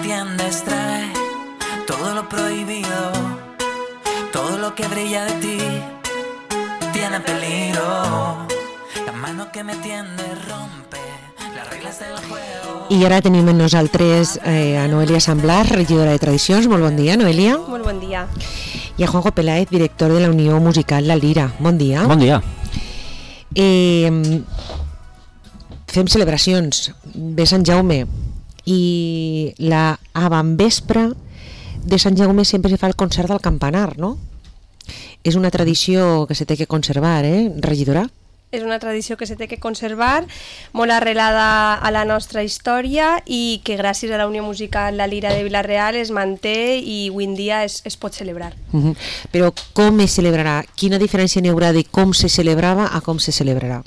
entiendes trae todo lo prohibido, todo lo que brilla de ti tiene peligro. La mano que me tiende rompe las reglas del juego. I ara tenim amb nosaltres a Noelia Samblar, regidora de Tradicions. Molt bon dia, Noelia. Molt bon dia. I a Juanjo Peláez, director de la Unió Musical La Lira. Bon dia. Bon dia. Fem celebracions. Ve Sant Jaume i la avantvespre de Sant Jaume sempre se fa el concert del campanar, no? És una tradició que se té que conservar, regidora? És una tradició que se té que conservar, molt arrelada a la nostra història i que gràcies a la Unió Musical La Lira de Vila-real es manté i avui en dia es pot celebrar. Però com es celebrarà? Quina diferència n'hi haurà de com se celebrava a com se celebrarà?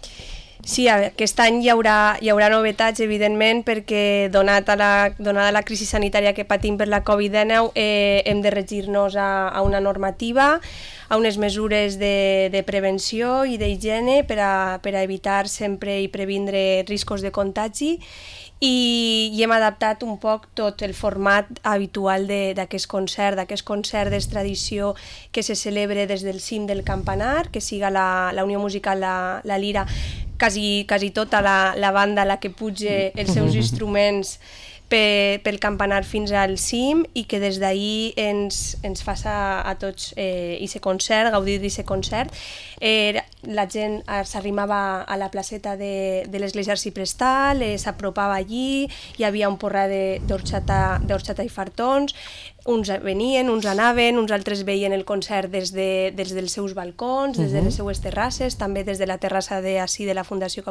Sí, aquest any hi haurà novetats, evidentment, perquè donada la crisi sanitària que patim per la Covid-19 hem de regir-nos a una normativa, a unes mesures de prevenció i d'higiene per a evitar sempre i previndre riscos de contagi i hem adaptat un poc tot el format habitual d'aquest concert d'extradició que se celebre des del cim del campanar, que siga la Unió Musical La Lira, quasi tota la banda la que puja els seus instruments pel campanar fins al cim i que des d'ahir ens faça a tots aquest concert, gaudir d'aquest concert. La gent s'arrimava a la placeta de l'església arciprestal, s'apropava allí, hi havia un porrà d'orxata i fartons, uns venien, uns anaven, uns altres veien el concert des dels seus balcons, des de les seues terrasses, també des de la terrassa de la Fundació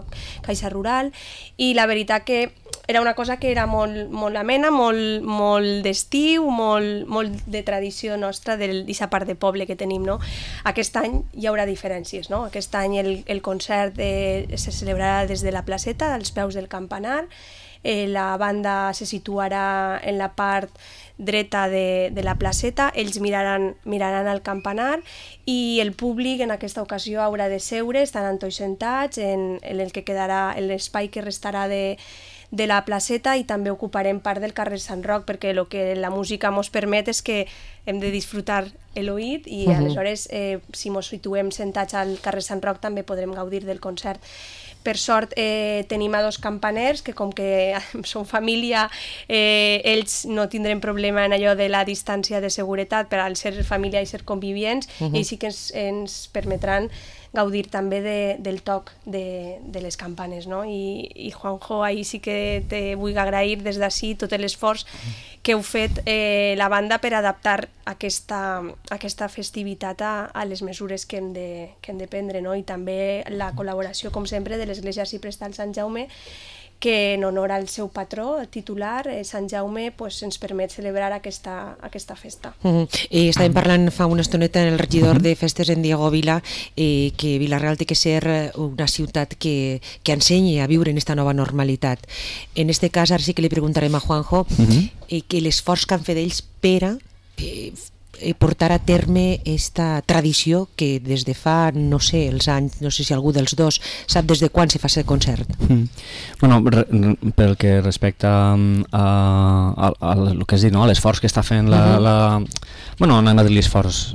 Caixa Rural, i la veritat que era una cosa que era molt amena, molt d'estiu, molt de tradició nostra d'aquesta part de poble que tenim, no? Aquest any hi haurà diferències, no? Aquest any el concert se celebrarà des de la placeta, als peus del campanar, la banda se situarà en la part dreta de la placeta, ells miraran al campanar i el públic en aquesta ocasió haurà de seure, estaran tots sentats en el que quedarà l'espai que restarà de la placeta i també ocuparem part del carrer Sant Roc perquè el que la música ens permet és que hem de disfrutar l'oït i aleshores si ens situem sentats al carrer Sant Roc també podrem gaudir del concert. Per sort tenim a dos campaners que com que són família ells no tindrem problema en allò de la distància de seguretat per al ser família i ser convivients i sí que ens permetran gaudir també del toc de les campanes, no? I Juanjo, ahir sí que te vull agrair des d'ací tot l'esforç que heu fet la banda per adaptar aquesta festivitat a les mesures que hem de prendre, no? I també la col·laboració, com sempre, de l'Església Arciprestal Sant Jaume, que en honor al seu patró titular, Sant Jaume, ens permet celebrar aquesta festa. Estàvem parlant fa una estoneta en el regidor de festes, en Diego Vila, que Vila-real té que ser una ciutat que ensenyi a viure en aquesta nova normalitat. En aquest cas, ara sí que li preguntarem a Juanjo que l'esforç que han fet ells per a portar a terme aquesta tradició que des de fa, no sé, els anys, no sé si algú dels dos sap des de quan se fa aquest concert. Bueno, pel que respecta a el que has dit, no? L'esforç que està fent bueno, no anem a dir l'esforç,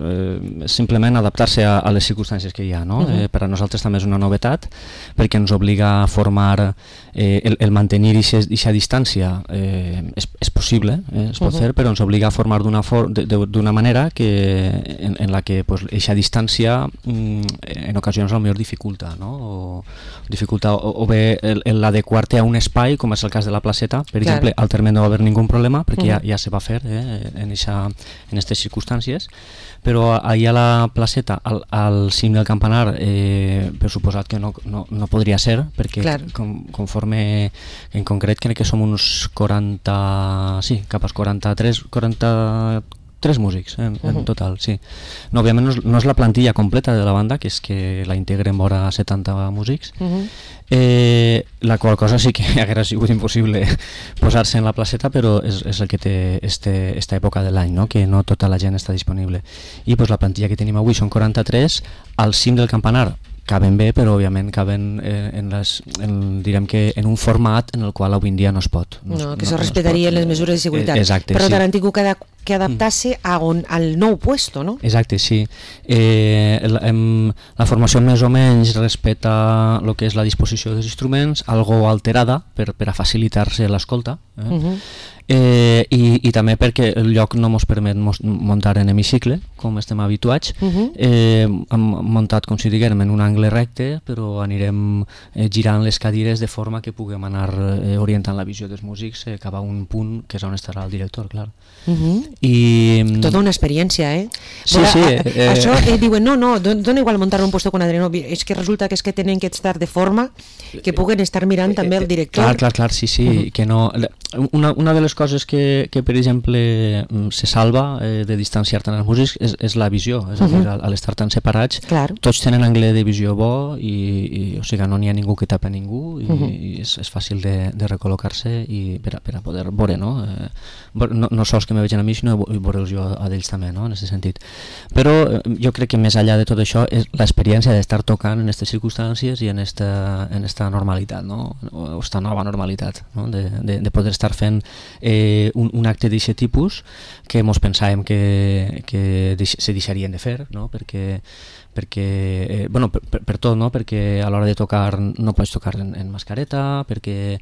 simplement adaptar-se a les circumstàncies que hi ha, no? Per a nosaltres també és una novetat perquè ens obliga a formar el mantenir aquesta distància és possible, es pot fer, però ens obliga a formar d'una manera en la que aquesta distància en ocasions potser dificulta, no? O bé l'adequar-te a un espai, com és el cas de la placeta, per exemple, al terme no va haver ningú problema perquè ja se va fer en aquestes circumstàncies, però allà a la placeta, al cim del campanar, per suposat que no podria ser, perquè conforme, en concret crec que som uns 40, sí, cap als 43 músics en total, sí. No, òbviament no és la plantilla completa de la banda, que és que la integren vora 70 músics, la qual cosa sí que hauria sigut impossible posar-se en la placeta, però és el que té esta època de l'any, no? Que no tota la gent està disponible. I la plantilla que tenim avui són 43, al cim del campanar caben bé, però òbviament caben direm que en un format en el qual avui en dia no es pot. Que se respetarien les mesures de seguretat. Exacte, però sí. tant han tingut que adaptar-se al nou puesto, no? Exacte, sí. La formació més o menys respecta el que és la disposició dels instruments, algo alterada per a facilitar-se l'escolta, i també perquè el lloc no ens permet muntar en hemicicle, com estem habituats. Hem muntat, com si diguem, en un angle recte, però anirem girant les cadires de forma que puguem anar orientant la visió dels músics cap a un punt que és on estarà el director, clar. Tota una experiència, eh? Sí, sí. sí. Això diuen, no, dona igual muntar un puesto con Adriano, és que resulta que és que tenen que estar de forma que puguen estar mirant també el director. Clar, sí, que no... Una de les coses que per exemple, se salva de distanciar tant els músics és la visió, és a dir, al estar tan separats, tots tenen angle de visió bo i o sigui, no n'hi ha ningú que tapa ningú i és fàcil de recol·locar-se i per a poder veure, no? No sols que me vegin a mi, sinó veure'ls jo a d'ells també, no? En aquest sentit. Però jo crec que més enllà de tot això és l'experiència d'estar tocant en aquestes circumstàncies i en esta normalitat, no? O esta nova normalitat, no? De poder estar fent un acte d'aquest tipus que mos pensàvem que se deixarien de fer, no? perquè per tot, no? Perquè a l'hora de tocar no pots tocar en mascareta, perquè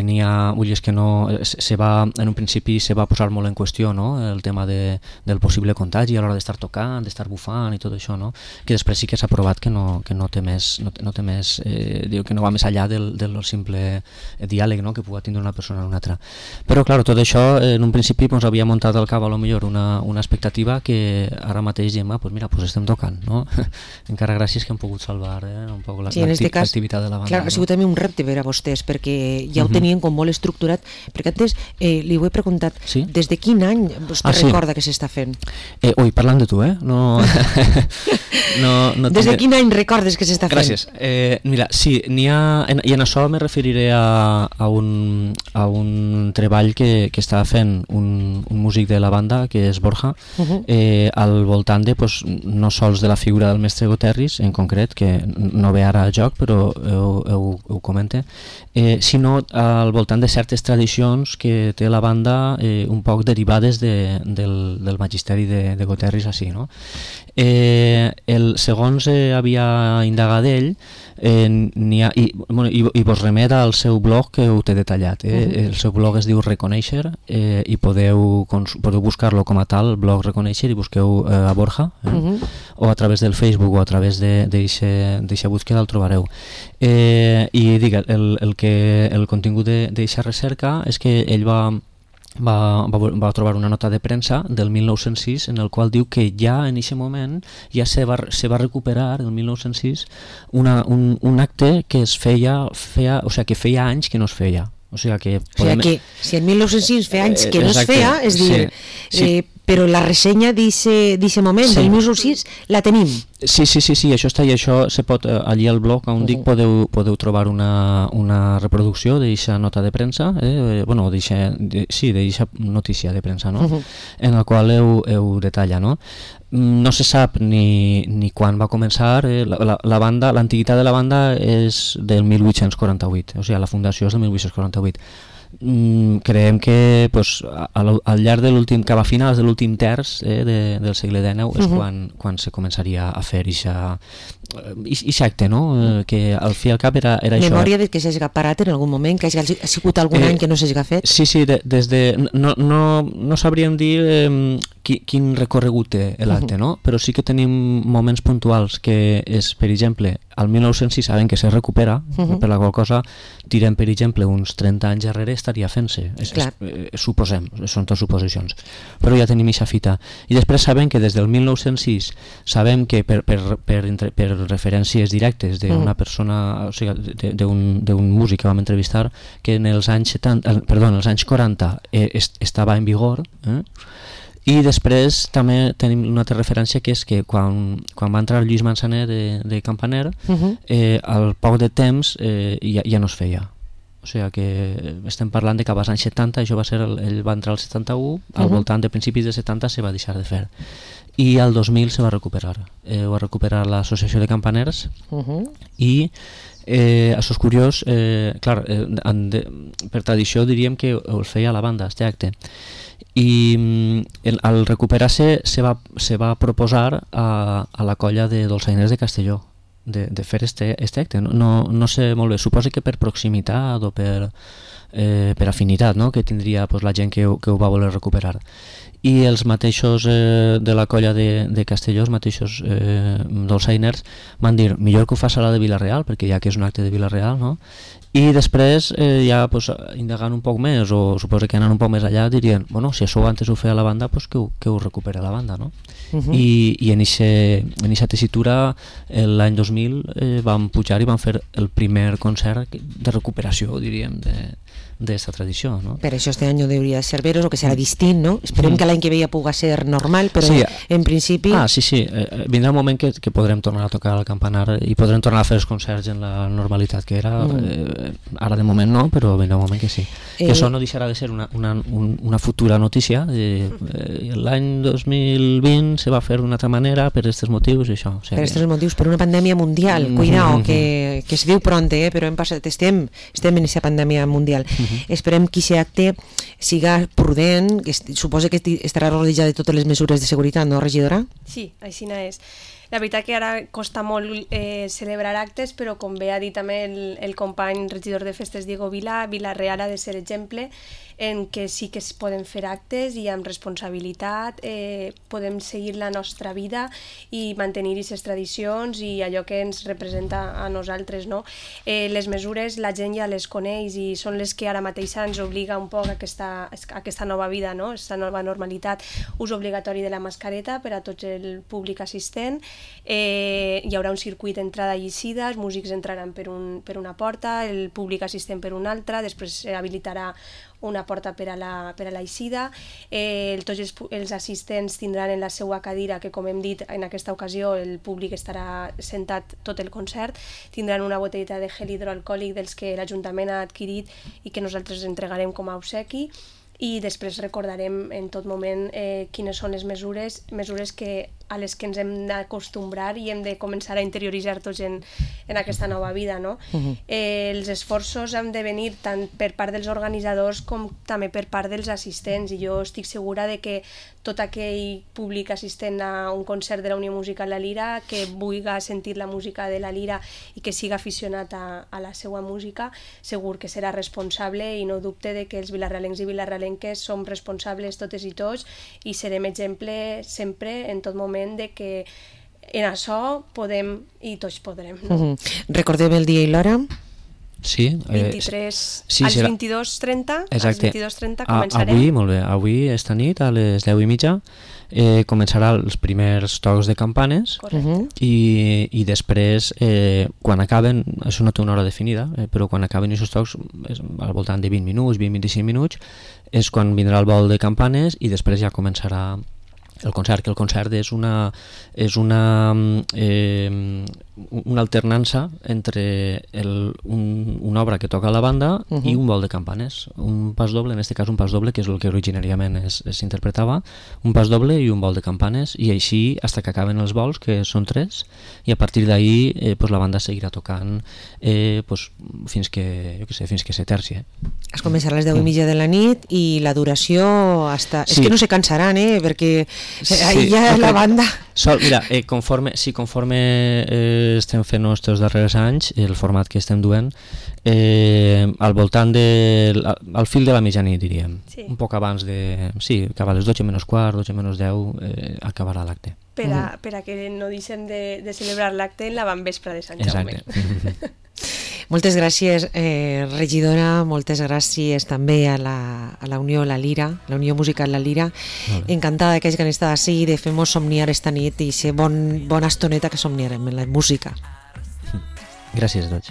n'hi ha ulles que no en un principi se va posar molt en qüestió, no? El tema del possible contagi a l'hora d'estar tocant, d'estar bufant i tot això, no? Que després sí que s'ha provat que no té més, diu que no va més enllà del simple diàleg, no? Que pugui tindre una persona amb una altra. Però clar, tot això en un principi ens havia muntat al cap a lo millor una expectativa que ara mateix diem, pues mira, pues estem tocant, no? Encara gràcies que hem pogut salvar un poc l'activitat de la banda. Clar, ha sigut també un repte per a vostès, perquè ja ho tenien com molt estructurat, perquè antes li ho he preguntat, des de quin any vostè recorda que s'està fent? Ui, parlant de tu, Des de quin any recordes que s'està fent? Gràcies. Mira, sí, i en això me referiré a un treball que està fent un músic de la banda, que és Borja, al voltant de, no sols de la figura del mestre Goterris, en concret, que no ve ara a joc, però ho comente, sinó al voltant de certes tradicions que té la banda un poc derivades del magisteri de Goterris així, no? Segons havia indagat ell, i vos remet al seu blog que ho té detallat. El seu blog es diu Reconèixer i podeu buscar-lo com a tal, blog Reconèixer, i busqueu a Borja, o a través del Facebook o a través d'eixa búsqueda el trobareu. I digue, el contingut d'eixa recerca és que ell va trobar una nota de premsa del 1906 en el qual diu que ja en aquest moment ja se va recuperar el 1906 un acte que es feia, o sigui, que feia anys que no es feia. O sigui que si en 1906 feia anys que no es feia, és dir, però la ressenya d'aquest moment, del 1906, la tenim. Sí, això està, i això se pot, allí al blog on dic podeu trobar una reproducció d'aquesta nota de premsa, d'aquesta notícia de premsa, no? En la qual heu detalla, no? No se sap ni quan va començar, la banda, l'antiguitat de la banda és del 1848, o sigui, la fundació és del 1848. Creiem que al llarg de l'últim, cap a finals de l'últim terç del segle XIX és quan se començaria a fer aquest acte, no? Que al fi i al cap era això. Memòria de que s'hagi parat en algun moment, que hagi sigut algun any que no s'hagi fet? Sí, des de... No sabríem dir quin recorregut té l'acte, no? Però sí que tenim moments puntuals que és, per exemple, al 1906 sabem que se recupera, per la qual cosa tirem, per exemple, uns 30 anys darrere estaria fent-se, suposem, són tot suposicions, però ja tenim aquesta fita. I després sabem que des del 1906 sabem que per referències directes d'una persona, o sigui, d'un músic que vam entrevistar, que en els anys 40 estava en vigor, i després també tenim una altra referència, que és que quan va entrar Lluís Manzaner de Campaner, al poc de temps ja no es feia. O sigui que estem parlant de cap als anys 70, això va ser, ell va entrar al 71, al voltant de principis de 70 se va deixar de fer. i al 2000 se va recuperar. Ho va recuperar l'Associació de Campaners i això és curiós, clar, per tradició diríem que ho feia la banda, este acte. I al recuperar-se se va proposar a la colla de dolçainers de Castelló de fer este acte. No sé molt bé, suposo que per proximitat o per afinitat, no?, que tindria la gent que ho va voler recuperar. I els mateixos de la colla de Castelló, els mateixos dolçainers, van dir millor que ho fas a la de Vila-real, perquè ja que és un acte de Vila-real, no? I després, ja indagant un poc més, o suposo que anant un poc més allà, dirien, bueno, si això antes ho feia la banda, que ho recupera la banda, no? I en aquesta tessitura, l'any 2000, vam pujar i vam fer el primer concert de recuperació, diríem, d'esta tradició, no? Per això este any hauria de ser veros, o que serà distint, no? Esperem que l'any que ve ja pugui ser normal, però sí, en principi... Sí, vindrà un moment que podrem tornar a tocar el campanar i podrem tornar a fer els concerts en la normalitat que era, ara de moment no, però vindrà un moment que sí. I això no deixarà de ser una futura notícia. L'any 2020 se va fer d'una altra manera per aquests motius i això. Per aquests motius, per una pandèmia mundial, cuidao, que es diu pront, però estem en aquesta pandèmia mundial. Esperem que aquest acte siga prudent, que suposa que estarà rodejat de totes les mesures de seguretat, no, regidora? Sí, així és. La veritat que ara costa molt celebrar actes, però com bé ha dit també el company regidor de festes Diego Vila, Vila-real ha de ser exemple en què sí que es poden fer actes i amb responsabilitat podem seguir la nostra vida i mantenir aquestes tradicions i allò que ens representa a nosaltres, no? Les mesures la gent ja les coneix i són les que ara mateix ens obliga un poc a aquesta nova vida, no? Aquesta nova normalitat, ús obligatori de la mascareta per a tots el públic assistent, hi haurà un circuit d'entrada i eixida, els músics entraran per una porta, el públic assistent per una altra, després habilitarà una porta per a l'eixida, tots els assistents tindran en la seva cadira, que com hem dit en aquesta ocasió el públic estarà sentat tot el concert, tindran una botelleta de gel hidroalcohòlic dels que l'Ajuntament ha adquirit i que nosaltres entregarem com a obsequi, i després recordarem en tot moment quines són les mesures a les que ens hem d'acostumbrar i hem de començar a interioritzar tots en aquesta nova vida, no? Els esforços han de venir tant per part dels organitzadors com també per part dels assistents, i jo estic segura de que tot aquell públic assistent a un concert de la Unió Musical La Lira que vulgui sentir la música de La Lira i que siga aficionat a la seva música, segur que serà responsable, i no dubte de que els vilarrealencs i vilarrealenques som responsables totes i tots i serem exemple sempre, en tot moment, de que en això podem i tots podrem, no? Recordem el dia i l'hora? Sí. 23, als 22:30, als 22:30 començarem. Avui, molt bé, avui esta nit a les 10:30 començarà els primers tocs de campanes. I després, quan acaben, això no té una hora definida, però quan acaben aquests tocs, al voltant de 20 minuts, 20-25 minuts, és quan vindrà el vol de campanes i després ja començarà el concert, que el concert és una alternança entre una obra que toca la banda i un vol de campanes, un pas doble, en aquest cas un pas doble, que és el que originàriament s'interpretava, un pas doble i un vol de campanes, i així fins que acaben els vols, que són 3, i a partir d'ahí la banda seguirà tocant fins que se terci. Es començarà a les 10:30 de la nit i la duració hasta... És que no se cansaran, perquè ahí ja la banda... Mira, conforme estem fent els darrers anys, el format que estem duent, al voltant al fil de la mitjanit, diríem, un poc abans de... Sí, cap a les 12:15, 12:10 acabarà l'acte. Per a que no deixem de celebrar l'acte en l'avantvespre de Sant Jaume. Exacte. Moltes gràcies, regidora, moltes gràcies també a la Unió La Lira, la Unió Musical La Lira. Encantada que hagin estat així, de fer-nos somniar esta nit i ser bona estoneta que somniarem en la música. Gràcies a tots.